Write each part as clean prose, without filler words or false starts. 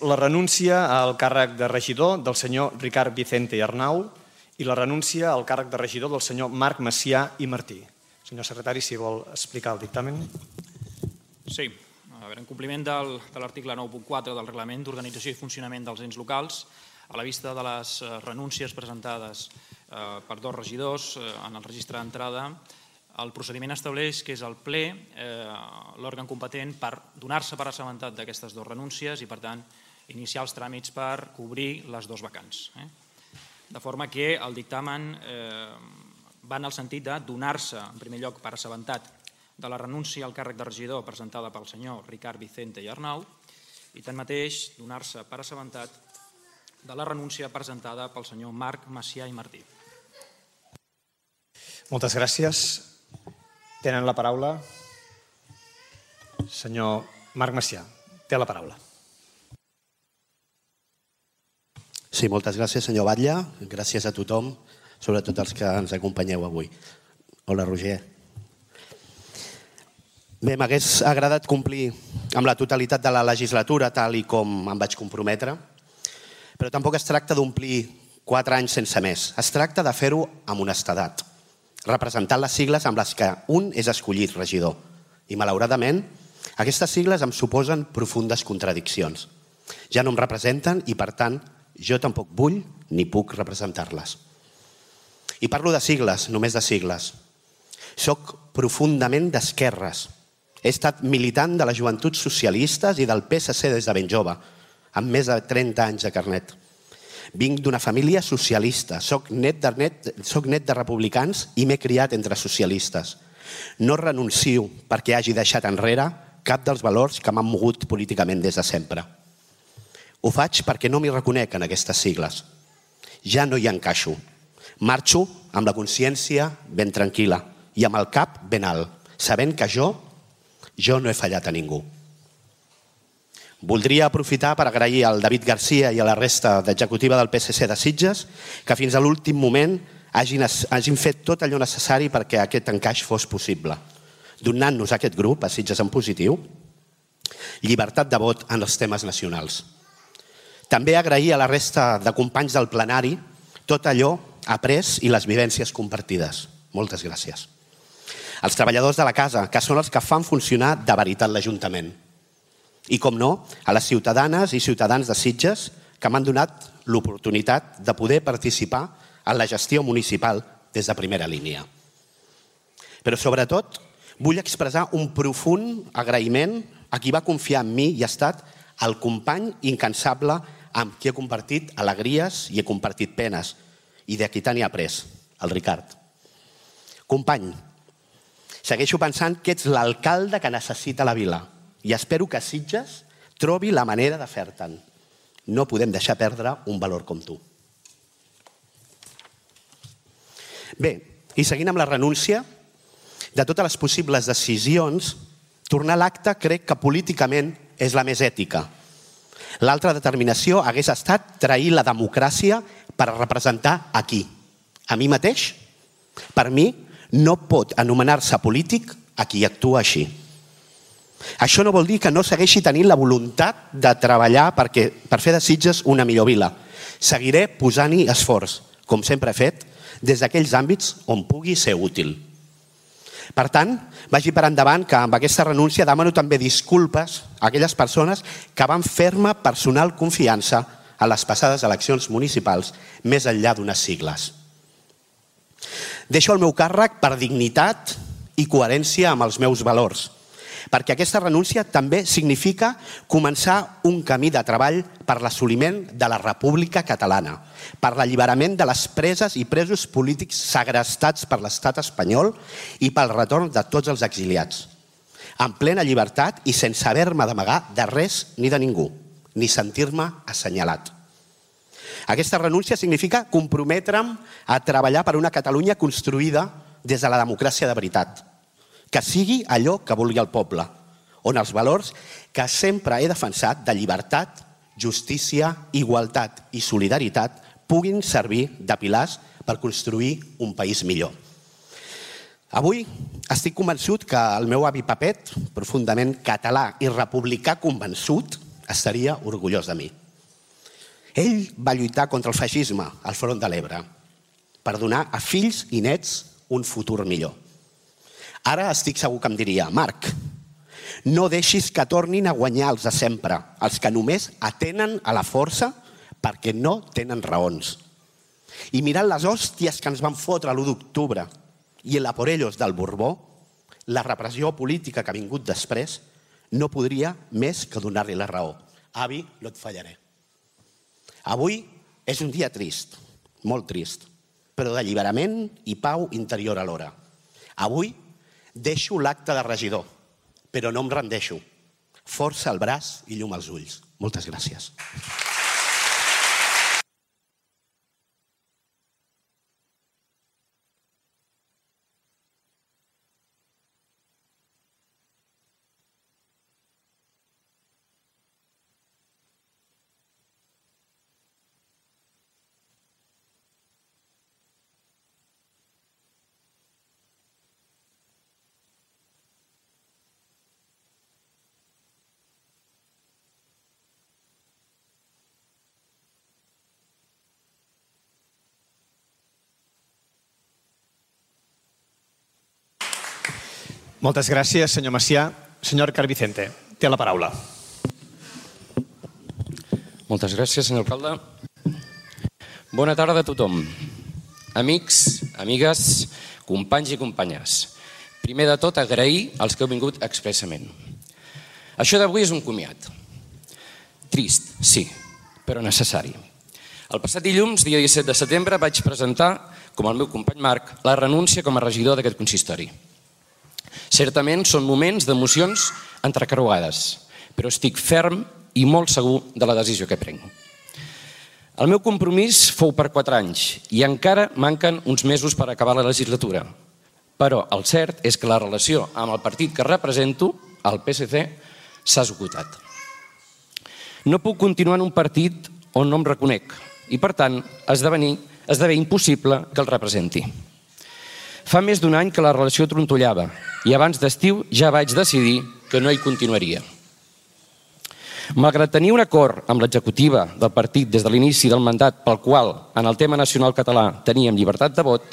la renúncia al càrrec de regidor del senyor Ricard Vicente i Arnau i la renúncia al càrrec de regidor del senyor Marc Macià i Martí. Senyor secretari, si vol explicar el dictamen. Sí. En compliment de l'article 9.4 del Reglament d'Organització i Funcionament dels Ens Locals, a la vista de les renúncies presentades per dos regidors en el registre d'entrada, el procediment estableix que és el ple l'òrgan competent per donar-se per assabentat d'aquestes dues renúncies i, per tant, iniciar els tràmits per cobrir les dues vacants. De forma que el dictamen va en el sentit de donar-se, en primer lloc, per assabentat de la renúncia al càrrec de regidor presentada pel senyor Ricard Vicente i Arnau i, tanmateix, donar-se per assabentat de la renúncia presentada pel senyor Marc Macià i Martí. Moltes gràcies. Tenen la paraula. Senyor Marc Macià, té la paraula. Sí, moltes gràcies, senyor Batlle. Gràcies a tothom, sobretot els que ens acompanyeu avui. Hola, Roger. Bé, m'hagués agradat complir amb la totalitat de la legislatura, tal i com em vaig comprometre, però tampoc es tracta d'omplir 4 anys sense més. Es tracta de fer-ho amb honestedat, representant les sigles amb les que un és escollit regidor. I, malauradament, aquestes sigles em suposen profundes contradiccions. Ja no em representen i, per tant, jo tampoc vull ni puc representar-les. I parlo de sigles, només de sigles. Soc profundament d'esquerres. He estat militant de les joventuts socialistes i del PSC des de ben jove, amb més de 30 anys de carnet. Vinc d'una família socialista, soc net de republicans i m'he criat entre socialistes. No renuncio perquè hagi deixat enrere cap dels valors que m'han mogut políticament des de sempre. Ho faig perquè no m'hi reconec en aquestes sigles. Ja no hi encaixo. Marxo amb la consciència ben tranquil·la i amb el cap ben alt, sabent que jo no he fallat a ningú. Voldria aprofitar per agrair al David Garcia i a la resta d'executiva del PSC de Sitges que fins a l'últim moment hagin fet tot allò necessari perquè aquest encaix fos possible, donant-nos a aquest grup, a Sitges en positiu, llibertat de vot en els temes nacionals. També agrair a la resta de companys del plenari tot allò après i les vivències compartides. Moltes gràcies. Els treballadors de la casa, que són els que fan funcionar de veritat l'Ajuntament. I, com no, a les ciutadanes i ciutadans de Sitges que m'han donat l'oportunitat de poder participar en la gestió municipal des de primera línia. Però, sobretot, vull expressar un profund agraïment a qui va confiar en mi i ha estat el company incansable amb qui he compartit alegries i he compartit penes i de qui tant he après, el Ricard. Company, segueixo pensant que ets l'alcalde que necessita la vila i espero que Sitges trobi la manera de fer-te'n. No podem deixar perdre un valor com tu. Bé, i seguint amb la renúncia, de totes les possibles decisions, tornar a l'acte crec que políticament és la més ètica. L'altra determinació hagués estat trair la democràcia per representar a qui? A mi mateix? Per mi, no pot anomenar-se polític a qui actua així. Això no vol dir que no segueixi tenint la voluntat de treballar per fer de Sitges una millor vila. Seguiré posant-hi esforç, com sempre he fet, des d'aquells àmbits on pugui ser útil. Per tant, vagi per endavant que amb aquesta renúncia demano també disculpes a aquelles persones que van fer-me personal confiança a les passades eleccions municipals més enllà d'unes sigles. Deixo el meu càrrec per dignitat i coherència amb els meus valors, perquè aquesta renúncia també significa començar un camí de treball per l'assoliment de la República Catalana, per l'alliberament de les preses i presos polítics segrestats per l'estat espanyol i pel retorn de tots els exiliats, en plena llibertat i sense haver-me d'amagar de res ni de ningú, ni sentir-me assenyalat. Aquesta renúncia significa comprometre'm a treballar per una Catalunya construïda des de la democràcia de veritat, que sigui allò que vulgui el poble, on els valors que sempre he defensat de llibertat, justícia, igualtat i solidaritat puguin servir de pilars per construir un país millor. Avui estic convençut que el meu avi Pepet, profundament català i republicà convençut, estaria orgullós de mi. Ell va lluitar contra el feixisme al front de l'Ebre per donar a fills i nets un futur millor. Ara estic segur que em diria: Marc, no deixis que tornin a guanyar els de sempre, els que només atenen a la força perquè no tenen raons. I mirant les hòsties que ens van fotre l'1 d'octubre i el a por ellos del Borbó, la repressió política que ha vingut després, no podria més que donar-li la raó. Avi, no et fallaré. Avui és un dia trist, molt trist, però d'alliberament i pau interior alhora. Avui deixo l'acte de regidor, però no em rendeixo. Força al braç i llum als ulls. Moltes gràcies. Moltes gràcies, senyor Macià. Senyor Ricard Vicente, té la paraula. Moltes gràcies, senyor alcalde. Bona tarda a tothom. Amics, amigues, companys i companyes. Primer de tot, agrair als que heu vingut expressament. Això d'avui és un comiat. Trist, sí, però necessari. El passat dilluns, dia 17 de setembre, vaig presentar, com el meu company Marc, la renúncia com a regidor d'aquest consistori. Certament són moments d'emocions entrecarregades, però estic ferm i molt segur de la decisió que prenc. El meu compromís fou per 4 anys i encara manquen uns mesos per acabar la legislatura. Però el cert és que la relació amb el partit que represento, el PSC, s'ha esgotat. No puc continuar en un partit on no em reconec i, per tant, esdevé impossible que el representi. Fa més d'un any que la relació trontollava i abans d'estiu ja vaig decidir que no hi continuaria. Malgrat tenir un acord amb l'executiva del partit des de l'inici del mandat pel qual en el tema nacional català teníem llibertat de vot,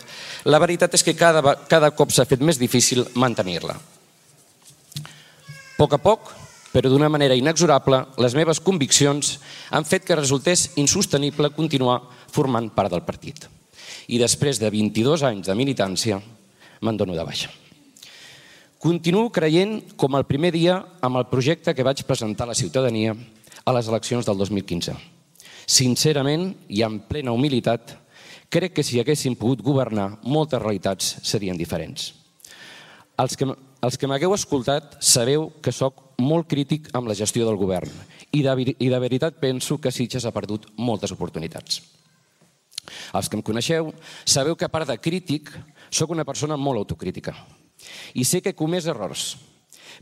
la veritat és que cada cop s'ha fet més difícil mantenir-la. A poc, però d'una manera inexorable, les meves conviccions han fet que resultés insostenible continuar formant part del partit. I després de 22 anys de militància, me'n dono de baixa. Continuo creient com el primer dia amb el projecte que vaig presentar a la ciutadania a les eleccions del 2015. Sincerament i amb plena humilitat, crec que si haguéssim pogut governar, moltes realitats serien diferents. Els que m'hagueu escoltat sabeu que sóc molt crític amb la gestió del govern i de veritat penso que Sitges ha perdut moltes oportunitats. Els que em coneixeu sabeu que a part de crític sóc una persona molt autocrítica i sé que he comès errors,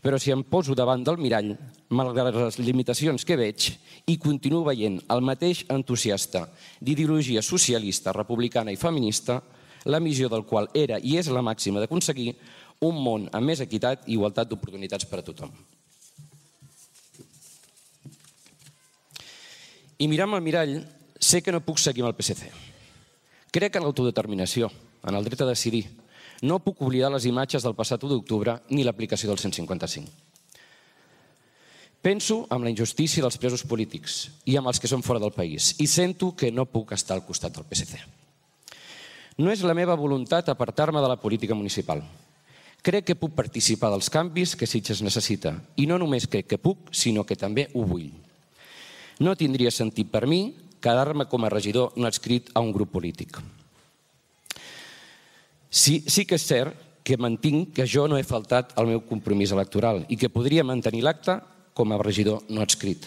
però si em poso davant del mirall, malgrat les limitacions que veig, i continuo veient el mateix entusiasta d'ideologia socialista, republicana i feminista, la missió del qual era i és la màxima d'aconseguir un món amb més equitat i igualtat d'oportunitats per a tothom. I mirant al mirall, sé que no puc seguir amb el PSC. Crec en l'autodeterminació, en el dret a decidir. No puc oblidar les imatges del passat 1 d'octubre ni l'aplicació del 155. Penso en la injustícia dels presos polítics i amb els que són fora del país i sento que no puc estar al costat del PSC. No és la meva voluntat apartar-me de la política municipal. Crec que puc participar dels canvis que Sitges necessita i no només crec que puc, sinó que també ho vull. No tindria sentit per mi quedar-me com a regidor no adscrit a un grup polític. Sí que és cert que mantinc que jo no he faltat al meu compromís electoral i que podria mantenir l'acte com a regidor no adscrit.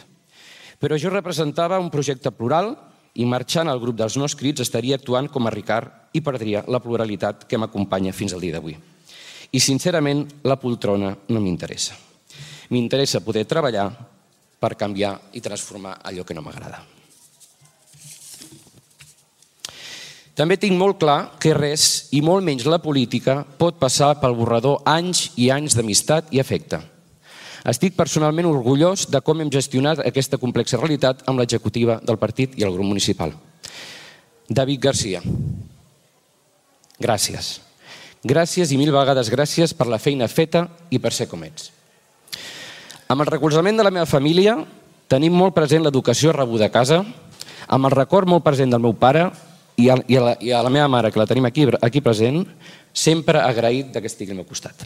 Però jo representava un projecte plural i marxant al grup dels no adscrits estaria actuant com a Ricard i perdria la pluralitat que m'acompanya fins al dia d'avui. I sincerament la poltrona no m'interessa. M'interessa poder treballar per canviar i transformar allò que no m'agrada. També tinc molt clar que res, i molt menys la política, pot passar pel borrador anys i anys d'amistat i afecte. Estic personalment orgullós de com hem gestionat aquesta complexa realitat amb l'executiva del partit i el grup municipal. David Garcia, gràcies. Gràcies i mil vegades gràcies per la feina feta i per ser com ets. Amb el recolzament de la meva família tenim molt present l'educació rebuda a casa, amb el record molt present del meu pare i a la meva mare, que la tenim aquí present, sempre agraït que estigui al meu costat.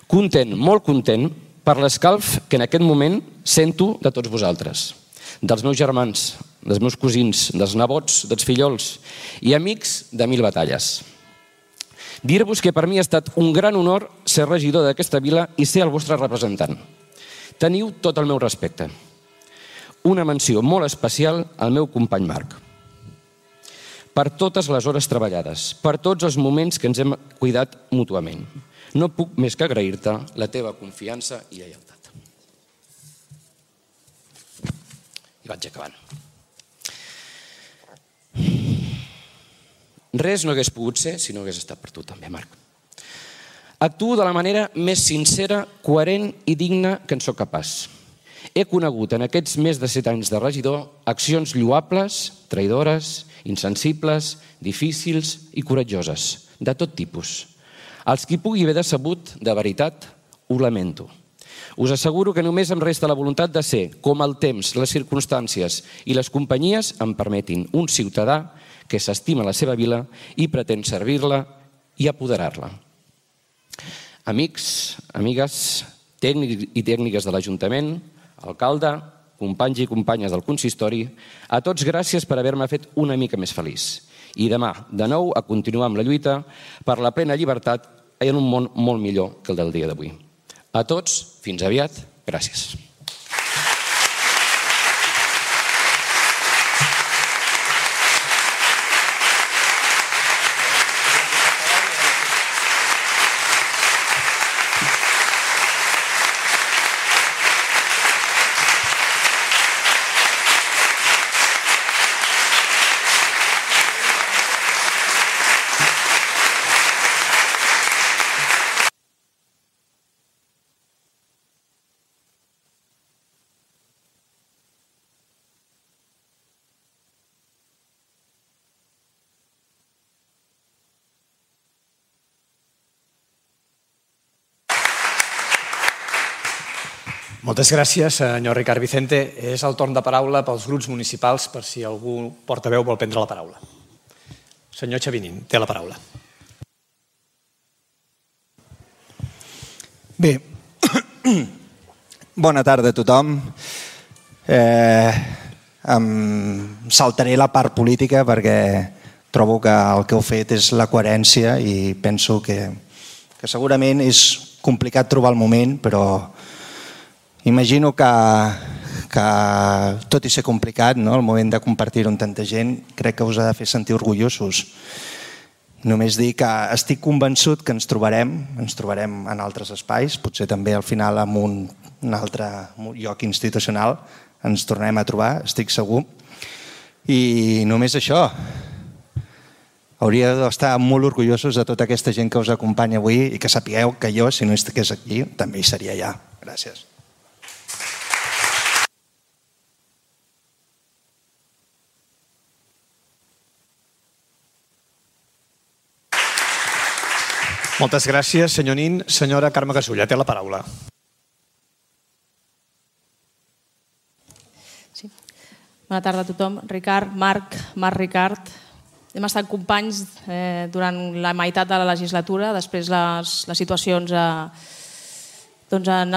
Content, molt content, per l'escalf que en aquest moment sento de tots vosaltres, dels meus germans, dels meus cosins, dels nebots, dels fillols i amics de mil batalles. Dir-vos que per mi ha estat un gran honor ser regidor d'aquesta vila i ser el vostre representant. Teniu tot el meu respecte. Una menció molt especial al meu company Marc. Per totes les hores treballades, per tots els moments que ens hem cuidat mútuament. No puc més que agrair-te la teva confiança i lleialtat. I vaig acabant. Res no hagués pogut ser si no hagués estat per tu també, Marc. Actuo de la manera més sincera, coherent i digna que en sóc capaç. He conegut en aquests més de 7 anys de regidor accions lloables, traïdores, insensibles, difícils i coratjoses, de tot tipus. Els qui pugui haver decebut, de veritat, ho lamento. Us asseguro que només em resta la voluntat de ser, com el temps, les circumstàncies i les companyies em permetin, un ciutadà que s'estima la seva vila i pretén servir-la i apoderar-la. Amics, amigues, tècnics i tècniques de l'Ajuntament, alcalde, companys i companyes del consistori, a tots gràcies per haver-me fet una mica més feliç. I demà, de nou, a continuar amb la lluita per la plena llibertat en un món molt millor que el del dia d'avui. A tots, fins aviat, gràcies. Moltes gràcies, senyor Ricard Vicente. És el torn de paraula pels grups municipals per si algú portaveu vol prendre la paraula. Senyor Xavinín, té la paraula. Bé, bona tarda a tothom. Em saltaré la part política perquè trobo que el que heu fet és la coherència i penso que segurament és complicat trobar el moment, però imagino que tot i ser complicat, el moment de compartir-ho amb tanta gent, crec que us ha de fer sentir orgullosos. Només dir que estic convençut que ens trobarem en altres espais, potser també al final en un altre lloc institucional ens tornarem a trobar, estic segur. I només això, hauríeu d'estar molt orgullosos de tota aquesta gent que us acompanya avui i que sapigueu que jo, si no estigués aquí, també hi seria allà. Gràcies. Moltes gràcies, senyor Nin. Senyora Carme Gasulla, té la paraula. Sí. Bona tarda a tothom. Ricard, Marc Ricard. Hem estat companys durant la meitat de la legislatura. Després les situacions han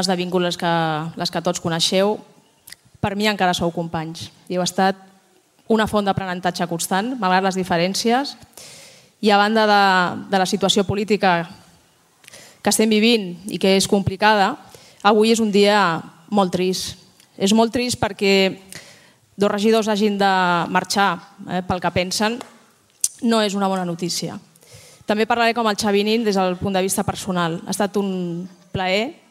esdevingut les que tots coneixeu. Per mi encara sou companys. I heu estat una font d'aprenentatge constant, malgrat les diferències. I a banda de la situació política que estem vivint i que és complicada, avui és un dia molt trist. És molt trist perquè dos regidors hagin de marxar pel que pensen, no és una bona notícia. També parlaré com el Xavinín des del punt de vista personal. Ha estat un plaer,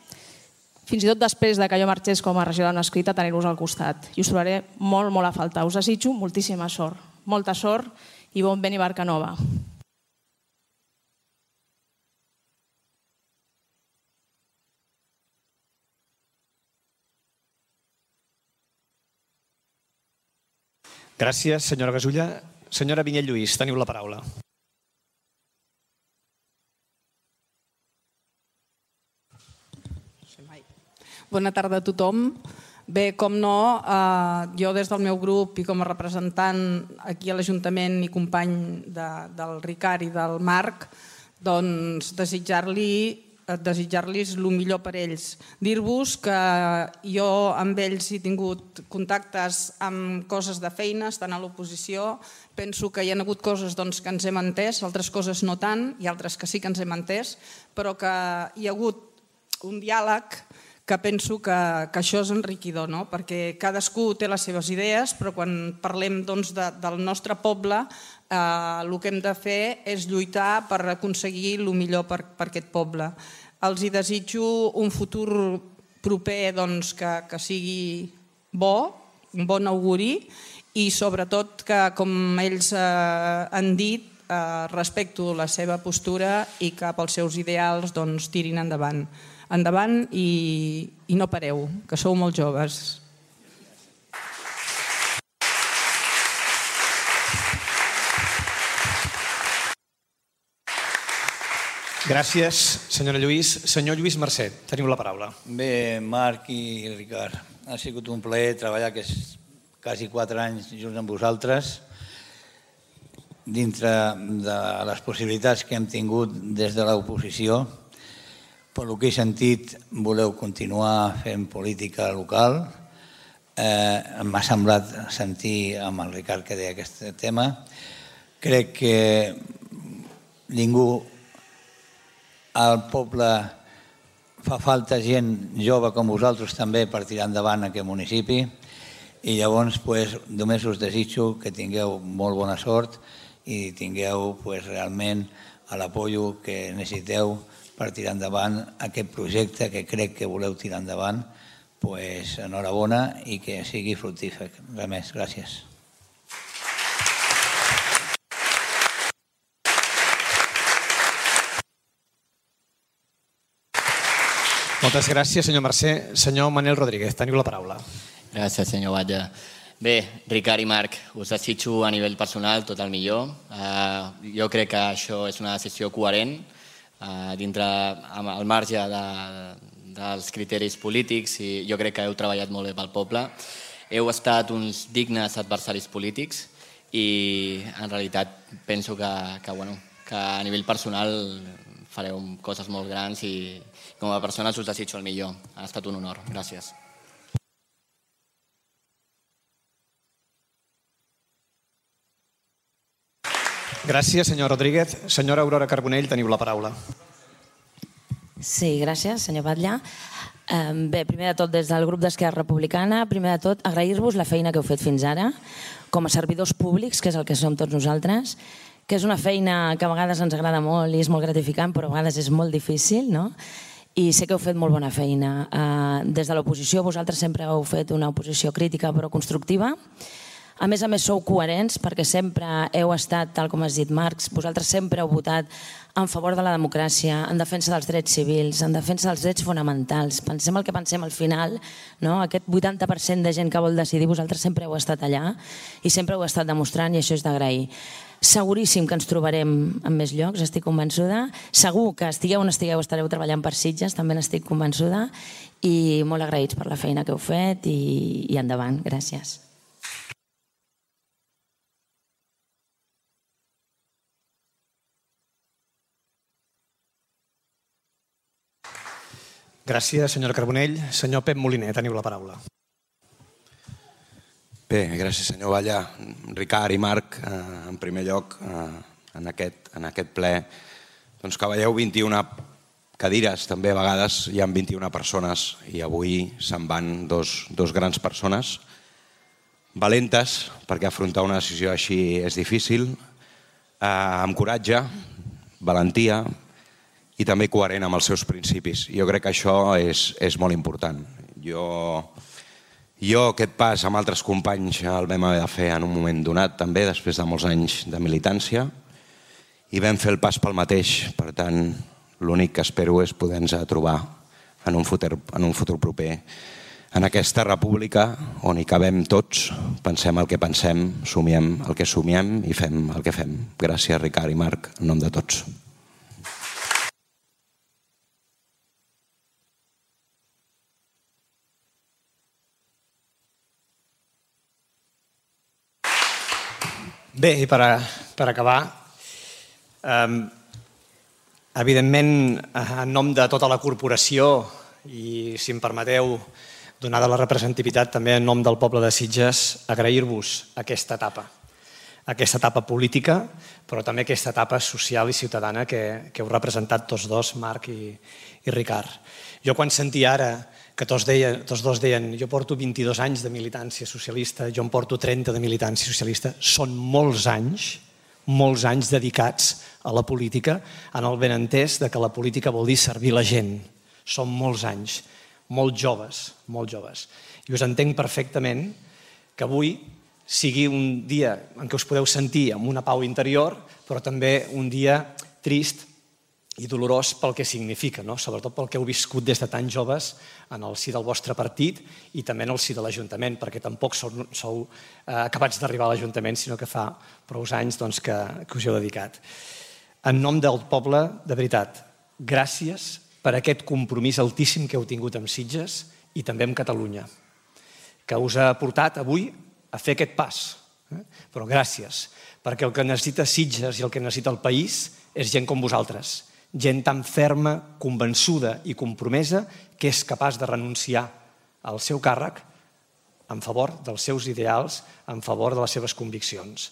fins i tot després que jo marxés com a regidora no escrita, tenir-vos al costat. I us trobaré molt, molt a faltar. Us desitjo moltíssima sort. Molta sort i bon vent i barca nova. Gràcies, senyora Gasulla. Senyora Vinyet Lluís, teniu la paraula. Bona tarda a tothom. Bé, com no, jo des del meu grup i com a representant aquí a l'Ajuntament i company del Ricard i del Marc, doncs desitjar-los el millor per ells. Dir-vos que jo amb ells he tingut contactes amb coses de feina, estant a l'oposició. Penso que hi ha hagut coses que ens hem entès, altres coses no tant, i altres que sí que ens hem entès, però que hi ha hagut un diàleg que penso que això és enriquidor, perquè cadascú té les seves idees, però quan parlem del nostre poble, el que hem de fer és lluitar per aconseguir el millor per aquest poble. Els hi desitjo un futur proper que sigui bo, un bon auguri, i sobretot que, com ells han dit, respecto la seva postura i cap als seus ideals tirin endavant. Endavant i no pareu, que sou molt joves. Gràcies, senyora Lluís. Senyor Lluís Mercè, teniu la paraula. Bé, Marc i Ricard, ha sigut un plaer treballar aquests quasi 4 anys junts amb vosaltres. Dintre de les possibilitats que hem tingut des de l'oposició, per lo que he sentit, voleu continuar fent política local. M'ha semblat sentir amb el Ricard que deia aquest tema. Crec que ningú, al poble, fa falta gent jove com vosaltres també per tirar endavant aquest municipi, i llavors només us desitjo que tingueu molt bona sort i tingueu realment l'apoyo que necessiteu per tirar endavant aquest projecte que crec que voleu tirar endavant. Enhorabona i que sigui fructífer. Res més, gràcies. Moltes gràcies, senyor Mercè. Senyor Manel Rodríguez, teniu la paraula. Gràcies, senyor Batlle. Bé, Ricard i Marc, us desitjo a nivell personal tot el millor. Jo crec que això és una decisió coherent, dintre al marge dels criteris polítics, i jo crec que heu treballat molt bé pel poble. Heu estat uns dignes adversaris polítics i en realitat penso que a nivell personal fareu coses molt grans i com a persones us desitjo el millor. Ha estat un honor. Gràcies. Gràcies, senyor Rodríguez. Senyora Aurora Carbonell, teniu la paraula. Sí, gràcies, senyor Batlle. Bé, primer de tot, des del grup d'Esquerra Republicana, primer de tot, agrair-vos la feina que heu fet fins ara, com a servidors públics, que és el que som tots nosaltres, que és una feina que a vegades ens agrada molt i és molt gratificant, però a vegades és molt difícil, no? I sé que heu fet molt bona feina. Des de l'oposició, vosaltres sempre heu fet una oposició crítica però constructiva. A més, sou coherents perquè sempre heu estat, tal com has dit, Marc, vosaltres sempre heu votat en favor de la democràcia, en defensa dels drets civils, en defensa dels drets fonamentals. Pensem el que pensem al final, aquest 80% de gent que vol decidir, vosaltres sempre heu estat allà i sempre heu estat demostrant, i això és d'agrair. Seguríssim que ens trobarem en més llocs, estic convençuda. Segur que estigueu o no estigueu, estareu treballant per Sitges, també n'estic convençuda, i molt agraïts per la feina que heu fet i endavant. Gràcies. Gràcies, senyora Carbonell. Senyor Pep Moliner, teniu la paraula. Bé, gràcies, senyor Batlle. Ricard i Marc, en primer lloc, en aquest ple, doncs que veieu 21 cadires, també a vegades hi ha 21 persones i avui se'n van dos grans persones, valentes, perquè afrontar una decisió així és difícil, amb coratge, valentia, i també coherent amb els seus principis. Jo crec que això és molt important. Jo aquest pas amb altres companys el vam haver de fer en un moment donat també, després de molts anys de militància, i vam fer el pas pel mateix. Per tant, l'únic que espero és poder-nos trobar en un futur proper en aquesta república on hi cabem tots, pensem el que pensem, somiem el que somiem i fem el que fem. Gràcies, Ricard i Marc, en nom de tots. Bé, i per acabar, evidentment, en nom de tota la corporació i, si em permeteu, donada la representativitat també en nom del poble de Sitges, agrair-vos aquesta etapa política, però també aquesta etapa social i ciutadana que heu representat tots dos, Marc i Ricard. Jo quan sentia ara que tots dos deien jo porto 22 anys de militància socialista, jo en porto 30 de militància socialista, són molts anys dedicats a la política, en el benentès que la política vol dir servir la gent. Són molts anys, molt joves. I us entenc perfectament que avui sigui un dia en què us podeu sentir amb una pau interior, però també un dia trist i dolorós pel que significa, sobretot pel que heu viscut des de tan joves en el si del vostre partit i també en el si de l'Ajuntament, perquè tampoc sou acabats d'arribar a l'Ajuntament, sinó que fa prou anys que us heu dedicat. En nom del poble, de veritat, gràcies per aquest compromís altíssim que heu tingut amb Sitges i també amb Catalunya, que us ha portat avui a fer aquest pas. Però gràcies, perquè el que necessita Sitges i el que necessita el país és gent com vosaltres, gent tan ferma, convençuda i compromesa que és capaç de renunciar al seu càrrec en favor dels seus ideals, en favor de les seves conviccions.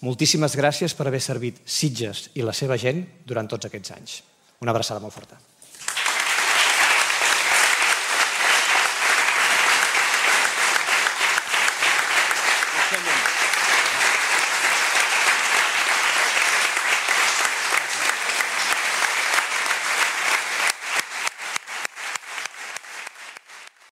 Moltíssimes gràcies per haver servit Sitges i la seva gent durant tots aquests anys. Una abraçada molt forta.